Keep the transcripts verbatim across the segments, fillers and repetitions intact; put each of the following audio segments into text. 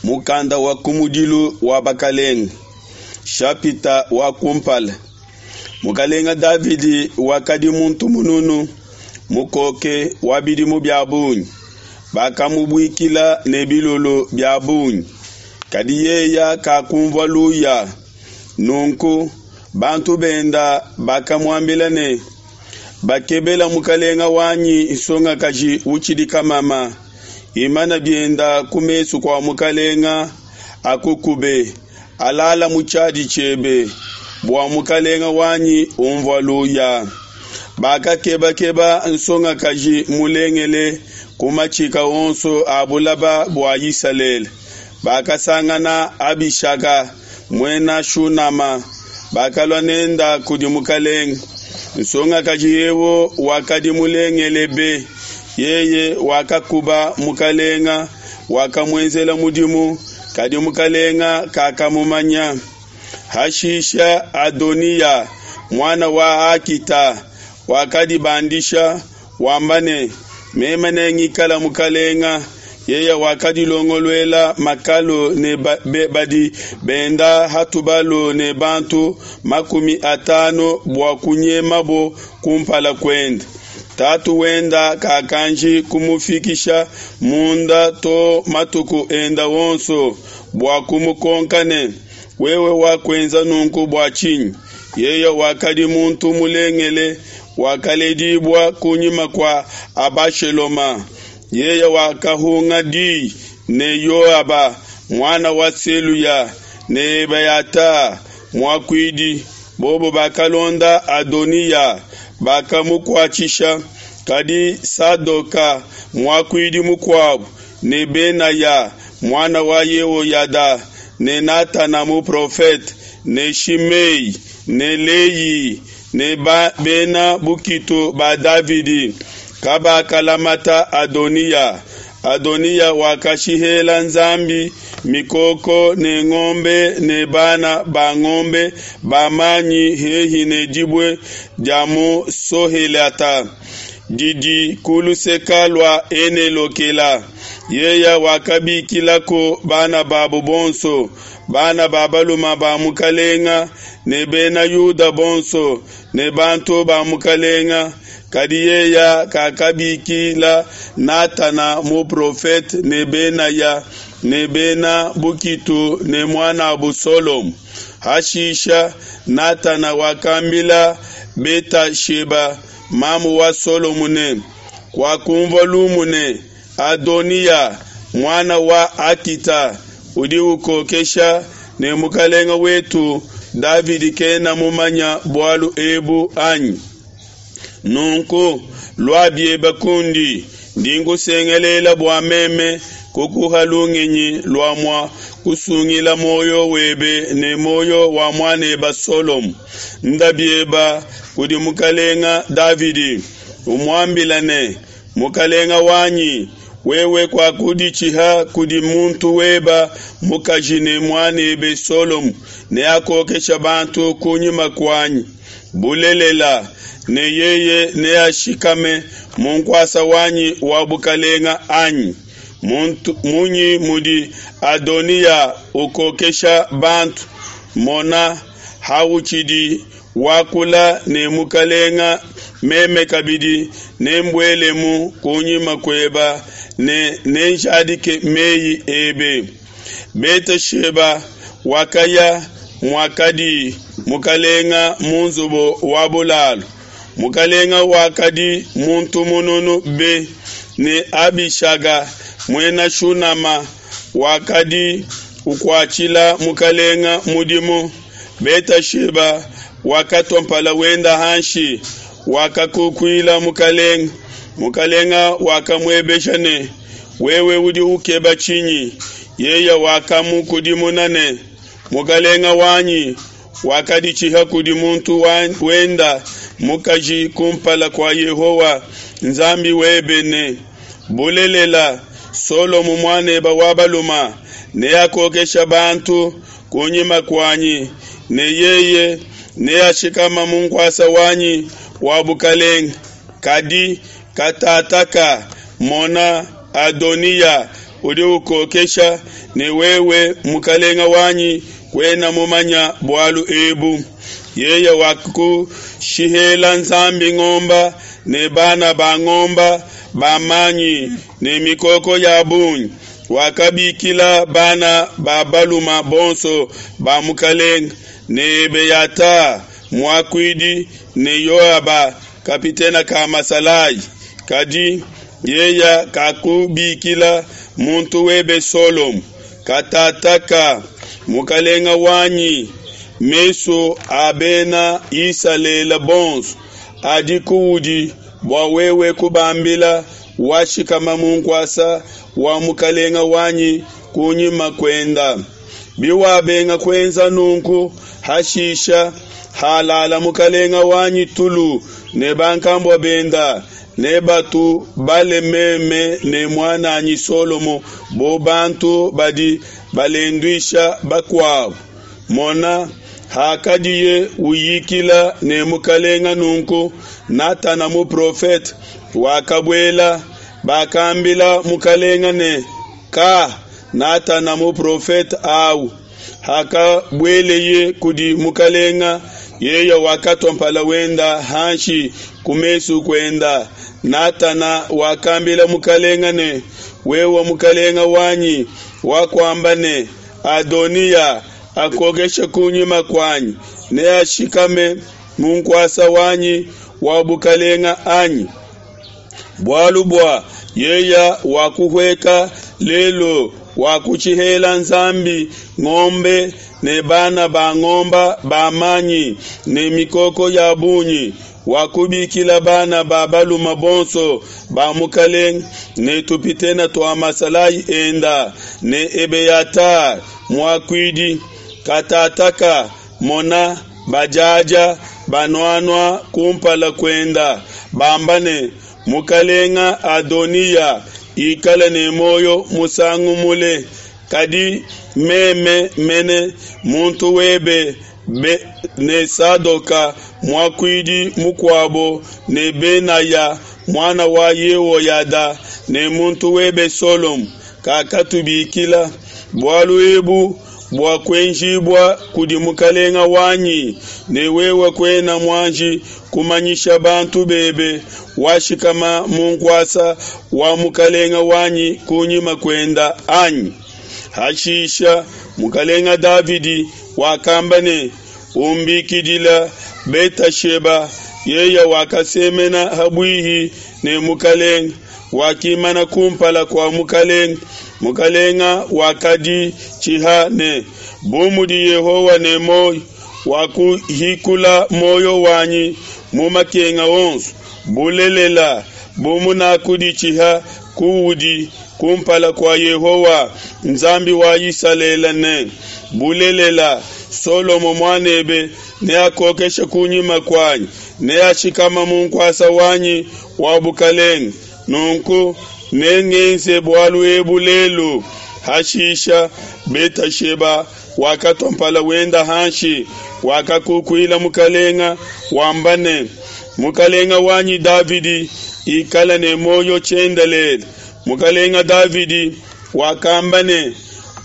Mukanda wa kumudilu wa bakelenge, shapita wa kumpala. Mukalenga Davidi wakadi muntu mununu, mukoke wa bidimu bia bungi. Bakamubuikila ne bilulu bia bungi, kadi yeya kakunvua luya. Nunku bantu benda bakamuambila ne, bakebela mukalenga wanyi nsongakaji utshidi kamama, imana bienda ku mesu kua mukalenga akukube, alala mu tshiadi tshiebe, bua mukalenga wanyi umvua luya. Bakakebakeba nsongakaji mulengele ku matshika onso a bulaba bua Isalele. Bakasangana Abishaga muena Shunama, bakalua nenda kudi mukalenga. Nsongakaji eu wakadi mulengele be, yeye wakakuba mukalenga, wakamuenzela mudimu, kadi mukalenga kakamumanya. Hashisha Adoniya, muana wa Akita, wakadibandisha wamba ne, meme nengikala mukalenga. Yeye wakadilongoluela makalu ne ba, be, badi benda ha tubalu ne bantu makumi atanu bua kunyemabo kumpala kuende. Tatu wenda kakanji kumufikisha munda to matuku enda onso bua kumukonka ne, wewe wakuenza nunku bua tshinyi? Yeye wakadi muntu mulengele, wakaledibua kunyima kua Abasheloma. Yeye wakahunga di ne Yoaba, muana wa Seluya, ne Ebeyata muakuidi, bobo bakalonda Adoniya, bakamukuatshisha. Kadi Sadoka muakuidi mukuabo, ne Benaya muana wa Yehoyada, ne Natana muprofete, ne Shimei ne Lei ne ba, bena bukitu ba Davidi kabakalamata Adoniya. Adoniya wakashihela Nzambi mikoko ne ngombe ne bana ba ngombe ba manyi hehi ne dibue dia mu Sohelata didi ku luseke lua Ene-lokela. Yeye wakabikilaku bana babo bonso, bana ba balume ba mukalenga ne bena Yuda bonso ne bantu ba mukalenga. Kadi yeye kakabikila Natana muprofete ne Benaya ne bena bukitu ne muan'abo Solomo. Hashisha Natana wakambila Betasheba, mamu wa Solomo ne, Kuakunvua lumu ne, Adoniya, muana wa Akita, udi ukokesha ne mukelenge wetu Davidi kena mumanye bualu ebu, anyi? Nunku lua biebe kundi, ndi nkusengelela bua meme kukuha lungenyi lua mua kusungila muoyo webe ne muoyo wa muan'ebe Solomo. Nda biebe kudi mukelenge Davidi, umuambile ne, Mukelenge wanyi, wewe kuakuditshiha kudi muntu webe mukaji ne muan'ebe Solomo neakokeshe bantu ku nyima kuanyi bulelela, ne yeye neashikame mu nkuasa wanyi wa bukelenge, anyi? Muntu, munyi mudi Adoniya ukokesha bantu? Mona, hautshidi wakula ne mukelenge, meme kabidi nembuelemu kunyima kueba ne nenjadike mei ebe. Betesheba wakaya muakadi mukelenge mu nzubu wa bulalu. Mukelenge wakadi muntu mununu be, ne Abishaga, muena Shunama, wakadi ukuatshila mukelenge mudimu. Betesheba wakatua mpala wenda hanshi, wakakukuila mukelenge. Mukelenge wakamuebesha ne, wewe udi ukeba tshinyi? Yeye wakamukudimuna ne, mukelenge wanyi wakaditshiha kudi muntu wenda mukaji kumpala kua Yehowa Nzambi webe ne, bulelela, Solomo muan'ebe wa balume neakokeshe bantu kunyima kuanyi, ne yeye neashikame mu nkuasa wanyi wa bukelenge. Kadi katataka, mona, Adoniya udi ukokesha, ne wewe mukalenga wanyi kuena mumanya bualu ebu. Yeye wakushihela Nzambi ngomba ne bana ba ngomba ba manyi ne mikoko ya bungi, wakabikila bana ba baluma bonso ba mukalenga ne Ebeyata muakuidi ne Yoaba kapitene ka masalayi, kadi yeya kakubikila muntu webe Solomo. Katataka mukalenga wanyi, mesu a bena Isalele bonso adi kuudi bua wewe kubambila washikama mu nkuasa wa mukalenga wanyi kunyima kuenda. Biwabenga kuenza nunku, hashisha halala mukalenga wanyi tulu ne bankambua benda, ne batu bale meme ne muananyi Solomo bo bantu badi balenduisha bakuabo. Mona, hakadiye uyikila ne mukalenga nunku, Natana muprofete wakabuela. Bakambila mukalenga ne, Ka, Natana muprofete au. Hakabueleye kudi mukalenga, yeye wakatua mpala wenda hanshi ku mesu kuenda. Natana wakambila mukalenga ne, wewe mukalenga wanyi wakuamba ne, Adoniya akokeshe kunyima kuanyi, neashikame mu nkuasa wanyi wa bukalenga anyi? Bualu bua yeya wakuhueka lelu, wakushihela Nzambi ngombe ne bana ba ngomba ba manyi ne mikoko ya bungi, wakubikila bana ba baluma bonso ba mukalenga ne tupitene tua masalayi enda ne Ebeyata muakuidi. Katataka mona, bajaja banuanua kumpala kuenda, bamba ne, Mukalenga Adoniya ikala ne muoyo musangu mule. Kadi meme mene muntu webe be, ne Sadoka muakuidi mukuabo ne Benaya muana wa Yehoyada ne muntu webe Solomo kakatubikila. Bualu ebu buakuenjibua kudi mukalenga wanyi, ne wewe kuena muanji kumanyisha bantu bebe washikama mu nkuasa wa mukalenga wanyi kunyima kuenda anyi? Hashisha mukalenga Davidi wakamba ne, Umbikidila Betasheba. Yeye wakasemena ha buihi ne mukalenga, wakimana kumpala kua mukalenga. Mukalenga wakaditshiha ne, Bu mudi Yehowa ne muoyo, wakuhikula muoyo wanyi mu makenga onso, bulelela, bu munakuditshiha kuudi kumpala kua Yehowa, Nzambi wa Isalele ne, Bulelela, Solomo muanebe neakokeshe kunyima kuanyi, neashikama mu nkuasa wanyi wa bukelenge, nunku nengenze bualu ebu lelu. Hashisha Betasheba wakatua mpala wenda hanshi, wakakukuila mukalenga, wamba ne, Mukalenga wanyi Davidi ikala ne muoyo tshiendelele. Mukalenga Davidi wakamba ne,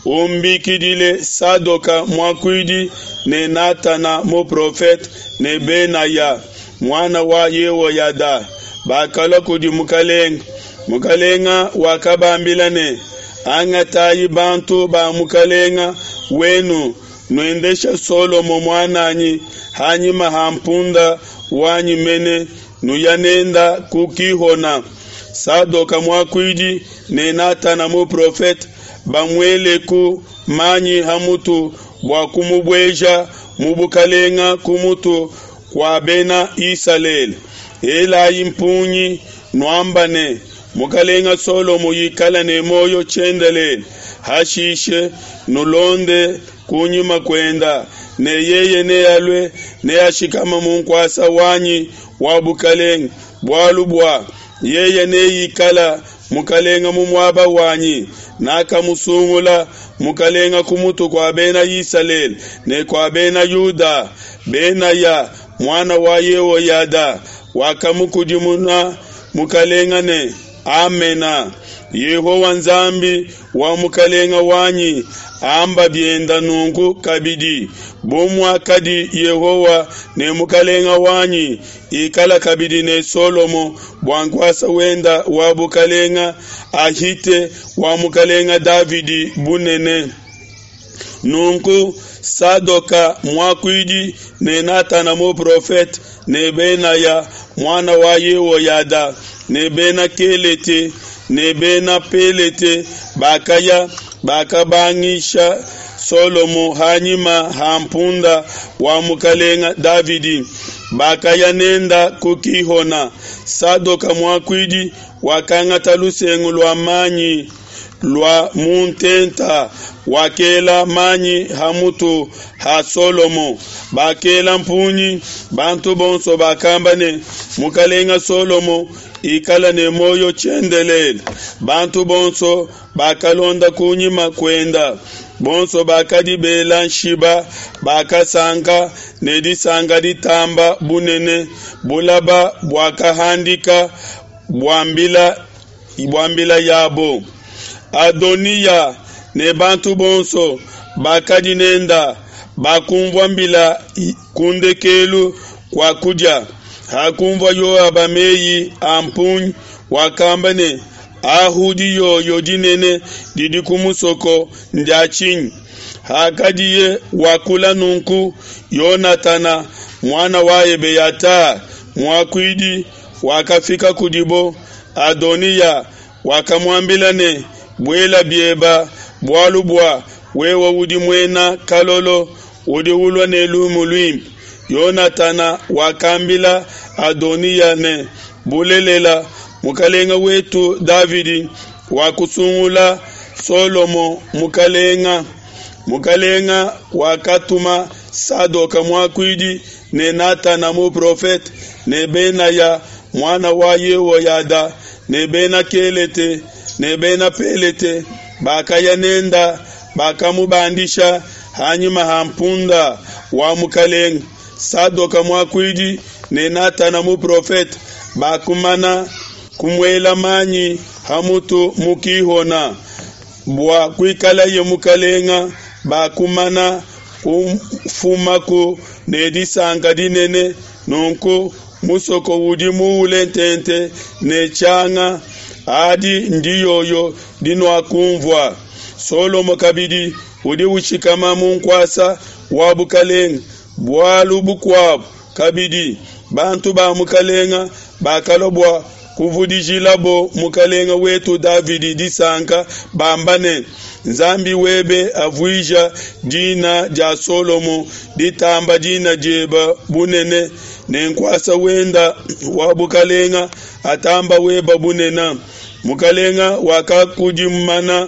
Umbikidile Sadoka muakuidi ne Natana muprofete ne Benaya muana wa Yehoyada. Bakalua kudi mukalenga. Mukalenga wakabambila ne, Angatayi bantu ba mukalenga wenu, nuendesha Solomo muananyi hanyima ha mpunda wanyi mene, nuya nenda ku Kihona. Sadoka muakuidi ne Natana muprofete bamueleku manyi ha mutu bua kumubueja mu bukalenga ku mutu kua bena Isalele. Elayi mpungi nuamba ne, Mukalenga Solomo ikala ne muoyo tshiendelele. Hashishe nulonde kunyima kuenda, ne yeye nealue neashikama mu nkuasa wanyi wa bukalenga, bualu bua yeye neikala mukalenga mu muaba wanyi. Nakamusungula mukalenga ku mutu kua bena Isalele ne kua bena Yuda. Benaya muana wa Yehoyada wakamukudimuna mukalenga ne, Amena. Yehowa Nzambi wa mukalenga wanyi amba bienda nunku kabidi, bu muakadi Yehowa ne mukalenga wanyi, ikala kabidi ne Solomo bua nkuasa wenda wa bukalenga ahite wa mukalenga Davidi bunene. Nunku Sadoka muakuidi ne Natana muprofete ne Benaya muana wa Yehoyada ne bena Kelete ne bena Pelete bakaya, bakabangisha Solomo ha nyima ha mpunda wa mukalenga Davidi, bakaya nenda ku Gihona. Sadoka muakuidi wakangata lusengu lua manyi lua mu ntenta, wakela manyi ha mutu ha Solomo. Bakela mpungi, bantu bonso bakamba ne, Mukalenga Solomo ikala ne muoyo tshiendelele. Bantu bonso bakalonda kunyima kuenda, bonso bakadi bela nshiba bakasanka ne disanka ditamba bunene. Bulaba buakahandika bua mbila yabo. Adoniya ne bantu bonso bakadi nenda bakumvua mbila ku ndekelu kua kudia. Hakunvua Yoaba meyi a mpungi, wakamba ne, Ahu diyoyo dinene didi ku musoko ndia tshinyi? Hakadiye wakula nunku, Yonatana, muana wa Ebeyata muakuidi, wakafika kudibo. Adoniya wakamuambila ne, Buela bieba, bualu bua wewe udi muena kalolo, udi ulua ne lumu luimpe. Yonatana wakambila Adoniya ne, Bulelela, mukelenge wetu Davidi wakusungula Solomo mukelenge. Mukelenge wakatuma Sadoka muakuidi ne Natana muprofete ne Benaya, muana wa Yehoyada, ne Bena Kelete ne Bena Pelete, bakaya nenda, bakamubandisha ha nyima ha mpunda wa mukelenge. Sadoka muakuidi ne Natana muprofete bakumana kumuela manyi ha mutu mu Gihona bua kuikalaye mukelenge. Bakumana kufumaku ne disanka dinene, nunku musoko udi muule tente ne tshianga. Adi ndiyoyo dinuakunvua. Solomo kabidi udi ushikama mu nkuasa wa bukelenge. Bualu bukuabo kabidi, bantu ba mukelenge bakalua bua kuvudijilabo mukelenge wetu Davidi disanka, bamba ne, Nzambi webe avuija dina dia Solomo ditamba dina diebe bunene, ne nkuasa wenda wa bukelenge atamba weba bunene. Mukelenge wakakudimana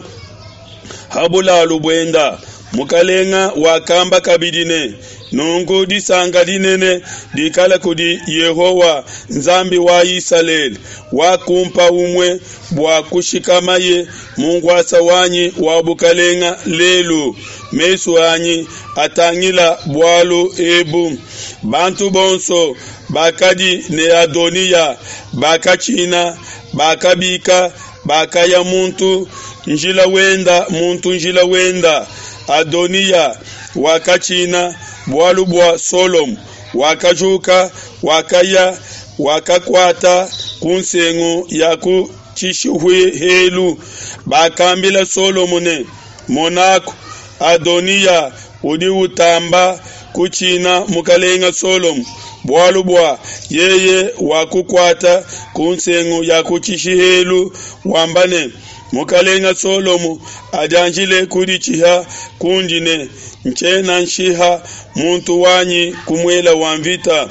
ha bulalu buenda. Mukelenge wakamba kabidi ne, Nunku disanka dinene dikala kudi Yehowa, Nzambi wa Isalele, wakumpa umue bua kushikamaye mu nkuasa wanyi wa bukelenge lelu, mesu anyi atangila bualu ebu. Bantu bonso bakadi ne Adoniya bakatshina, bakabika, bakaya muntu njila wenda muntu njila wenda. Adoniya wakatshina bualu bua Solomo, wakajuka, wakaya, wakakuata ku nsengu ya ku tshishihelu. Bakambila Solomo ne, Monaku, Adoniya udi utamba kutshina mukelenge Solomo, bualu bua yeye wakukuata ku nsengu ya ku tshishihelu, wamba ne, Mukelenge Solomo adianjile kuditshiha kundi ne, Ntshiena nshiha muntu wanyi ku muele wa nvita.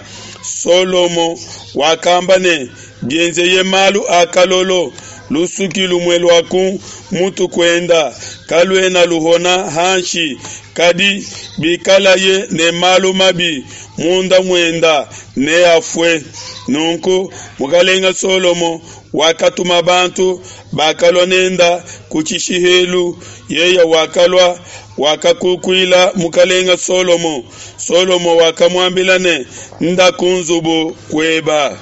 Solomo wakamba ne, Bienzeye malu a kalolo, lusuki lumue lua ku mutu kuenda kaluena luhona hanshi, kadi bikalaye ne malu mabi munda muenda, neafue. Nunku mukelenge Solomo wakatuma bantu, bakalua nenda ku tshishihelu. Yeye wakalua, wakakukuila mukelenge Solomo. Solomo wakamuambila ne, Nda ku nzubu kueba.